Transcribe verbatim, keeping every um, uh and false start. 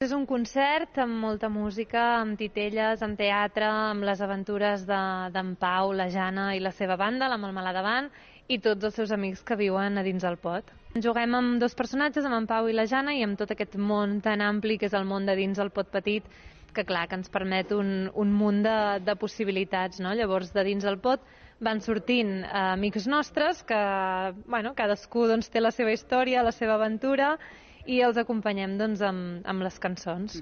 És un concert amb molta música, amb titelles, amb teatre, amb les aventures d'en de, Pau, la Jana i la seva banda, la Melmelada Band, i tots els seus amics que viuen a dins el pot. Juguem amb dos personatges, amb en Pau i la Jana, i amb tot aquest món tan ampli que és el món de dins el pot petit, que clar, que ens permet un, un munt de, de possibilitats, no? Llavors, de dins el pot van sortint eh, amics nostres que, bueno, cadascú doncs, té la seva història, la seva aventura, i els acompanyem doncs, amb, amb les cançons.